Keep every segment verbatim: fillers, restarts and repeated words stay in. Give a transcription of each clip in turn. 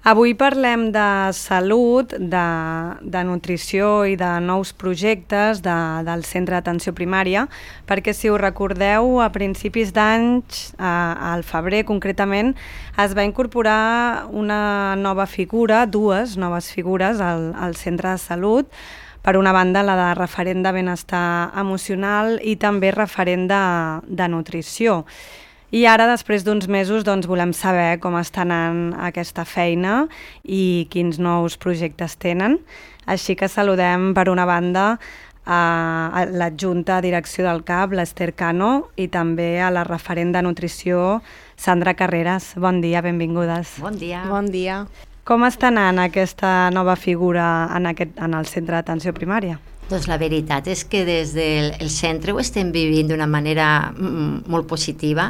Avui parlem de salut, de, de nutrició i de nous projectes de, del Centre d'Atenció Primària, perquè si us recordeu, a principis d'anys, al febrer concretament, es va incorporar una nova figura, dues noves figures al, al Centre de Salut. Per una banda, la de referent de benestar emocional i també referent de, de nutrició. I ara, després d'uns mesos, doncs, volem saber com està anant aquesta feina i quins nous projectes tenen. Així que saludem, per una banda, a l'adjunta a direcció del C A P, l'Ester Cano, i també a la referent de nutrició, Sandra Carreras. Bon dia, benvingudes. Bon dia. Bon dia. Com està anant aquesta nova figura en, aquest, en el Centre d'Atenció Primària? Doncs la veritat és que des del centre ho estem vivint d'una manera molt positiva,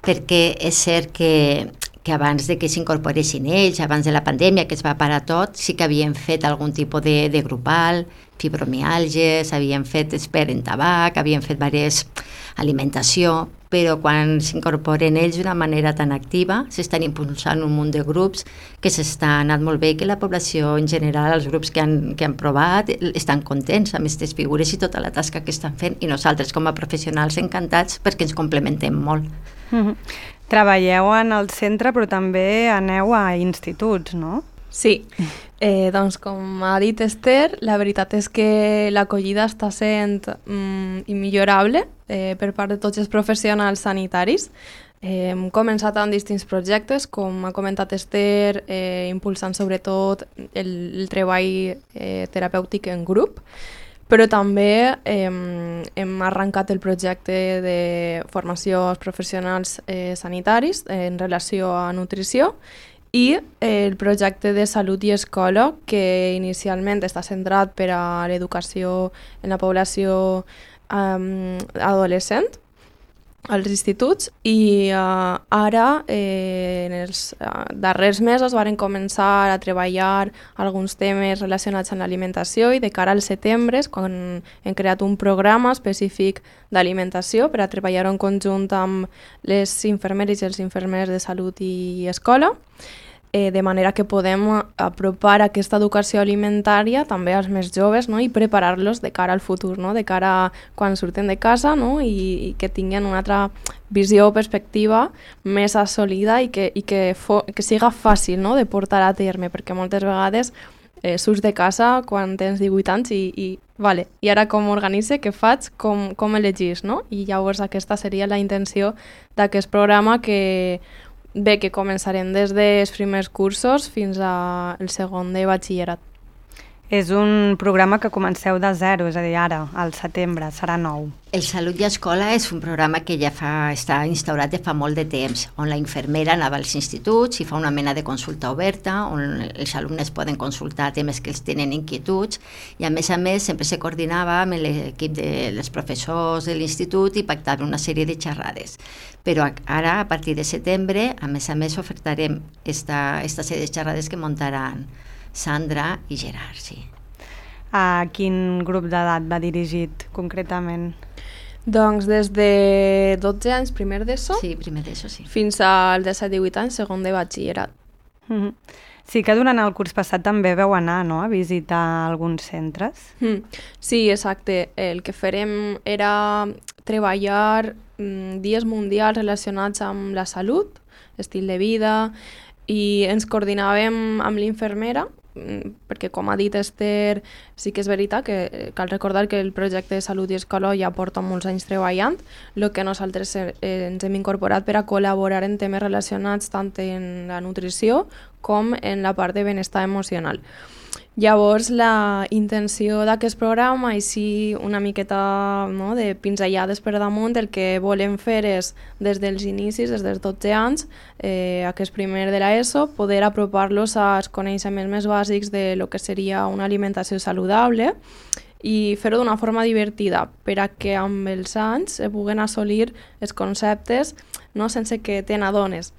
perquè és cert que, que abans de que s'incorporessin ells, abans de la pandèmia, que es va parar tot, sí que havien fet algun tipus de, de grupal, fibromiàlgies, havien fet expert en tabac, havien fet diverses alimentació, però quan s'incorporen ells d'una manera tan activa, s'estan impulsant un munt de grups que s'està anant molt bé, que la població en general, els grups que han, que han provat, estan contents amb aquestes figures i tota la tasca que estan fent, i nosaltres com a professionals encantats perquè ens complementem molt. Mm-hmm. Treballeu en el centre, però també aneu a instituts, no? Sí, eh, doncs com ha dit Esther, la veritat és que l'acollida està sent mm, immillorable eh, per part de tots els professionals sanitaris. Eh, hem començat amb distints projectes, com ha comentat Esther, eh, impulsant sobretot el, el treball eh, terapèutic en grup, però també eh, hem arrencat el projecte de formació als professionals eh, sanitaris en relació a nutrició, i el projecte de salut i escola, que inicialment està centrat per a l'educació en la població um, adolescent, als instituts, i uh, ara, eh, en els uh, darrers mesos, varen començar a treballar alguns temes relacionats amb l'alimentació, i de cara al setembre, quan hem creat un programa específic d'alimentació per a treballar en conjunt amb les infermeres i els infermers de salut i escola, eh, de manera que podem apropar aquesta educació alimentària també als més joves, no? I preparar-los de cara al futur, no? De cara a quan surten de casa, no? I, i que tinguin una altra visió o perspectiva més assolida i que, i que, fo, que siga fàcil, no? De portar a terme, perquè moltes vegades eh, surts de casa quan tens divuit anys i, i, vale, i ara com organitze, què faig, com, com elegís, no? I llavors aquesta seria la intenció d'aquest programa, que bé, que començarem des dels primers cursos fins al segon de batxillerat. És un programa que comenceu de zero, és a dir, ara, al setembre, serà nou. El Salut i Escola és un programa que ja fa, està instaurat de fa molt de temps, on la infermera anava als instituts i fa una mena de consulta oberta, on els alumnes poden consultar temes que els tenen inquietuds, i a més a més sempre se coordinava amb l'equip dels professors de l'institut i pactava una sèrie de xerrades. Però ara, a partir de setembre, a més a més ofertarem esta, esta sèrie de xerrades que muntaran Sandra i Gerard, sí. A quin grup d'edat va dirigit, concretament? Doncs des de dotze anys, primer d'ESO, sí, primer d'ESO, sí. fins als disset divuit anys, segon de batxillerat. Mm-hmm. Sí que durant el curs passat també veu anar, no?, a visitar alguns centres. Mm. Sí, exacte. El que farem era treballar mm, dies mundials relacionats amb la salut, estil de vida, i ens coordinàvem amb l'infermera, perquè com ha dit Esther, sí que és veritat que cal recordar que el projecte de salut i escola ja porta molts anys treballant, el que nosaltres eh, ens hem incorporat per a col·laborar en temes relacionats tant en la nutrició com en la part de benestar emocional. Llavors, la intenció d'aquest programa, així una miqueta, no, de pinzellades per damunt, el que volem fer és, des dels inicis, des dels dotze anys, eh, aquest primer de l'ESO, poder apropar-los als coneixements més bàsics de lo que seria una alimentació saludable i fer-ho d'una forma divertida, per a que amb els anys es puguen assolir els conceptes, no, sense que te n'adones.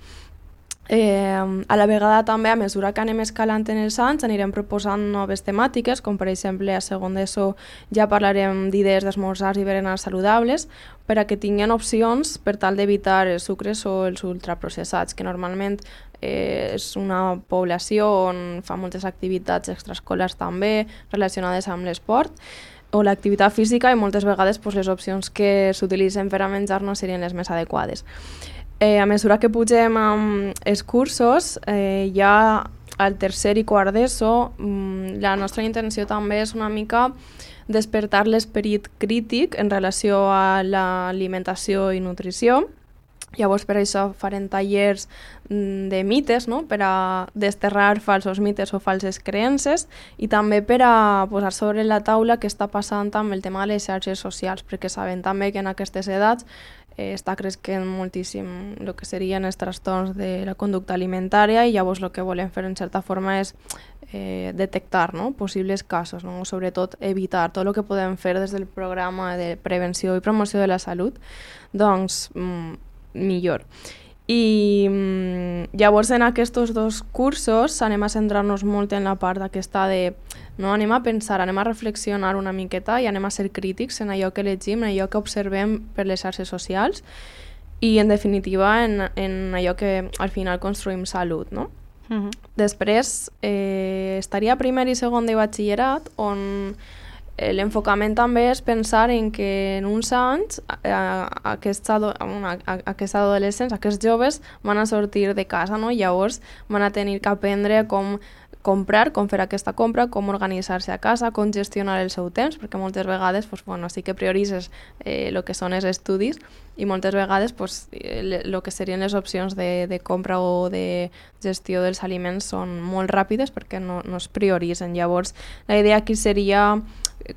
Eh, a la vegada també, a mesura que anem escalant en els anys, anirem proposant noves temàtiques, com per exemple a segon d'ESO ja parlarem d'idees d'esmorzars i berenars saludables, per a que tinguin opcions per tal d'evitar els sucres o els ultraprocessats, que normalment eh, és una població on fa moltes activitats extraescolars també relacionades amb l'esport o l'activitat física, i moltes vegades pues, les opcions que s'utilitzen per a menjar no serien les més adequades. Eh, a mesura que pugem amb els cursos, eh, ja al tercer i quart d'ESO, mm, la nostra intenció també és una mica despertar l'esperit crític en relació a l'alimentació i nutrició. Llavors, per això farem tallers de mites, no? Per a desterrar falsos mites o falses creences, i també per a posar sobre la taula què està passant amb el tema de les xarxes socials, perquè sabem també que en aquestes edats eh, està creixent moltíssim el que serien els trastorns de la conducta alimentària, i llavors el que volem fer en certa forma és eh, detectar, no? Possibles casos, no? Sobretot evitar tot el que podem fer des del programa de prevenció i promoció de la salut, doncs mm, millor. I mm, llavors en aquests dos cursos anem a centrar-nos molt en la part aquesta de, no, anem a pensar, anem a reflexionar una miqueta i anem a ser crítics en allò que llegim, en allò que observem per les xarxes socials i en definitiva en, en allò que al final construïm salut, no? Uh-huh. Després eh, estaria primer i segon de batxillerat, on l'enfocament també és pensar en que en uns anys eh, aquests, ado aquests adolescents, aquests joves van a sortir de casa, no? Llavors van a tenir que aprendre com comprar, com fer aquesta compra, com organitzar-se a casa, com gestionar el seu temps, perquè moltes vegades pues, bueno, sí que prioritzes el eh, que són els estudis i moltes vegades pues, el que serien les opcions de, de compra o de gestió dels aliments són molt ràpides perquè no, no es prioritzen. Llavors la idea aquí seria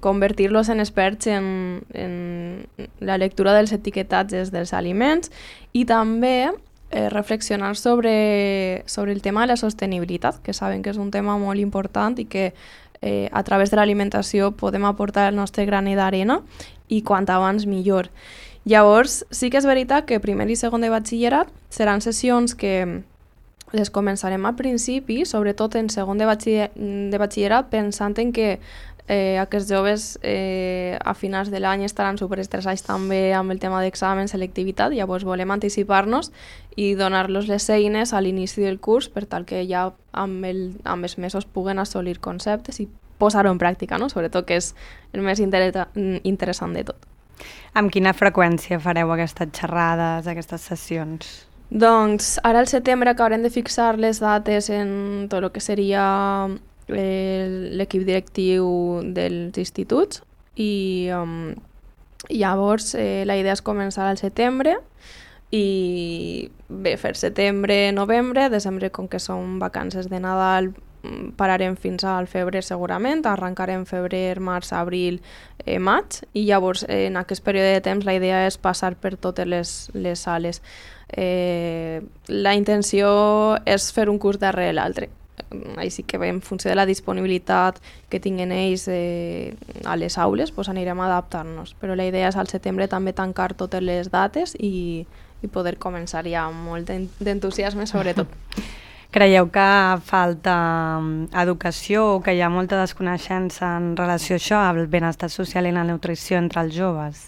convertir-los en experts en, en la lectura dels etiquetatges dels aliments i també eh, reflexionar sobre, sobre el tema de la sostenibilitat, que saben que és un tema molt important i que eh, a través de l'alimentació podem aportar el nostre granet d'arena i quant abans millor. Llavors, sí que és veritat que primer i segon de batxillerat seran sessions que les començarem al principi, sobretot en segon de, batxiller, de batxillerat, pensant en que Eh, aquests joves eh, a finals de l'any estaran superestressats també amb el tema d'examen, selectivitat, llavors volem anticipar-nos i donar-los les eines a l'inici del curs per tal que ja amb, el, amb els mesos puguen assolir conceptes i posar-ho en pràctica, no? Sobretot que és el més inter interessant de tot. Amb quina freqüència fareu aquestes xerrades, aquestes sessions? Doncs ara al setembre acabarem de fixar les dates en tot el que seria l'equip directiu dels instituts i um, llavors eh, la idea és començar al setembre i bé, fer setembre, novembre, desembre com que són vacances de Nadal pararem fins al febrer segurament, arrencarem febrer, març, abril, eh, maig i llavors eh, en aquest període de temps la idea és passar per totes les, les sales. Eh, la intenció és fer un curs darrere l'altre. Així que en funció de la disponibilitat que tinguin ells eh, a les aules pues anirem a adaptar-nos, però la idea és al setembre també tancar totes les dates i, i poder començar ja amb molt d'entusiasme sobretot. Creieu que falta educació o que hi ha molta desconeixença en relació a això, al benestar social i la nutrició entre els joves?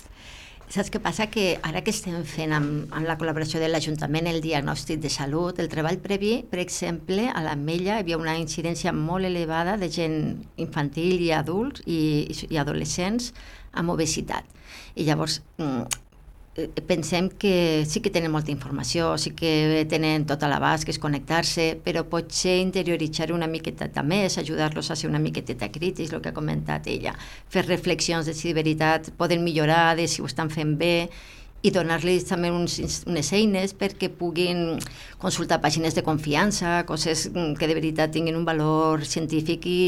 Saps què passa? Que ara que estem fent amb, amb la col·laboració de l'Ajuntament el diagnòstic de salut, el treball previ, per exemple, a l'Ametlla hi havia una incidència molt elevada de gent infantil i adults i, i adolescents amb obesitat. I llavors pensem que sí que tenen molta informació, sí que tenen tot a l'abast, que és connectar-se, però potser interioritzar una miqueta més, ajudar-los a ser una miqueteta crítics, el que ha comentat ella, fer reflexions de si de veritat poden millorar, de si ho estan fent bé, i donar-los també uns, unes eines perquè puguin consultar pàgines de confiança, coses que de veritat tinguin un valor científic i,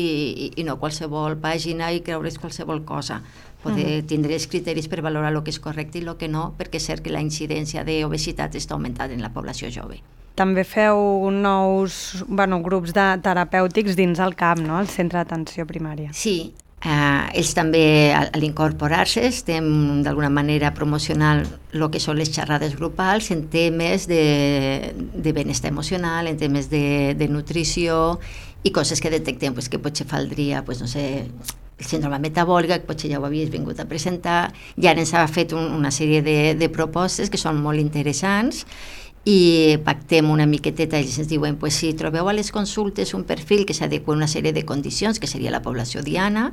i, i no qualsevol pàgina i creure's qualsevol cosa. Poder tindre els criteris per valorar el que és correcte i el que no, perquè és cert que la incidència d'obesitat està augmentant en la població jove. També feu nous bueno, grups de terapèutics dins el C A P, no? El Centre d'Atenció Primària. Sí, Eh, ells també, a, a l'incorporar-se, estem d'alguna manera promocionant el que són les xerrades grupals en temes de, de benestar emocional, en temes de, de nutrició i coses que detectem pues, que potser faldria, pues, no sé, el síndrome metabòlic, que potser ja ho havies vingut a presentar, i ara ens ha fet un, una sèrie de, de propostes que són molt interessants i pactem una miqueteta, ells ens diuen pues, si trobeu a les consultes un perfil que s'adequa a una sèrie de condicions, que seria la població diana,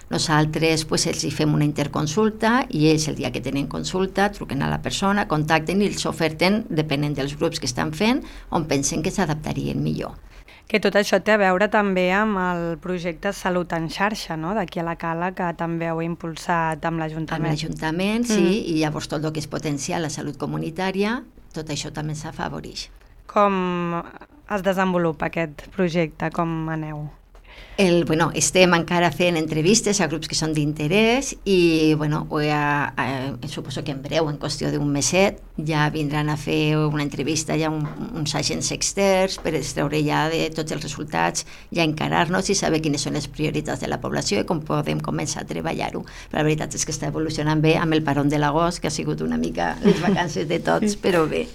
nosaltres pues, els hi fem una interconsulta i ells el dia que tenen consulta truquen a la persona, contacten i els oferten, depenent dels grups que estan fent, on pensen que s'adaptarien millor. Que tot això té a veure també amb el projecte Salut en xarxa, no?, d'aquí a la Cala, que també heu impulsat amb l'Ajuntament. Amb l'Ajuntament, sí, mm. i llavors tot el que és potenciar la salut comunitària, tot això també s'afavoreix. Com es desenvolupa aquest projecte? Com aneu? El, bueno, estem encara fent entrevistes a grups que són d'interès i bueno, ha, ha, suposo que en breu, en qüestió d'un meset, ja vindran a fer una entrevista ja un, uns agents externs per extreure ja de tots els resultats, ja encarar-nos i saber quines són les prioritats de la població i com podem començar a treballar-ho. Però la veritat és que està evolucionant bé amb el parón de l'agost, que ha sigut una mica les vacances de tots, però bé.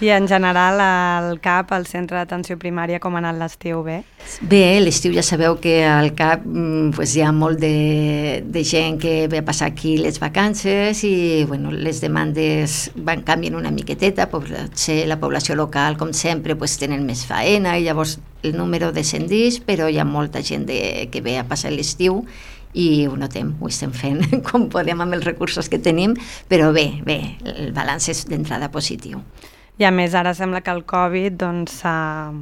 I en general al C A P, al Centre d'Atenció Primària, com ha anat l'estiu? Bé? Bé, l'estiu ja sabeu que al C A P pues, hi ha molt de, de gent que ve a passar aquí les vacances i bueno, les demandes van canviant una miqueteta, potser la població local, com sempre, pues, tenen més faena i llavors el número descendeix, però hi ha molta gent de, que ve a passar l'estiu i ho notem, ho estem fent com podem amb els recursos que tenim, però bé, bé, el balanç és d'entrada positiu. I a més ara sembla que el Covid doncs, ha,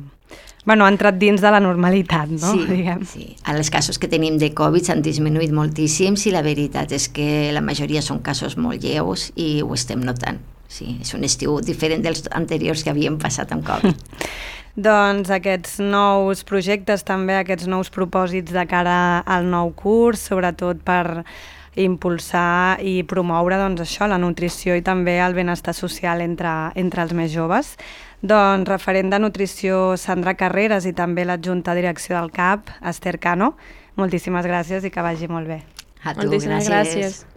bueno, ha entrat dins de la normalitat, no? Sí, Diguem. sí. Els casos que tenim de Covid s'han disminuït moltíssims i la veritat és que la majoria són casos molt lleus i ho estem notant. Sí, és un estiu diferent dels anteriors que havíem passat amb Covid. Doncs aquests nous projectes també, aquests nous propòsits de cara al nou curs, sobretot per impulsar i promoure doncs, això, la nutrició i també el benestar social entre, entre els més joves. Doncs referent de nutrició Sandra Carreras i també l'adjunta direcció del C A P, Esther Cano, moltíssimes gràcies i que vagi molt bé. A tu, Moltíssimes gràcies. gràcies.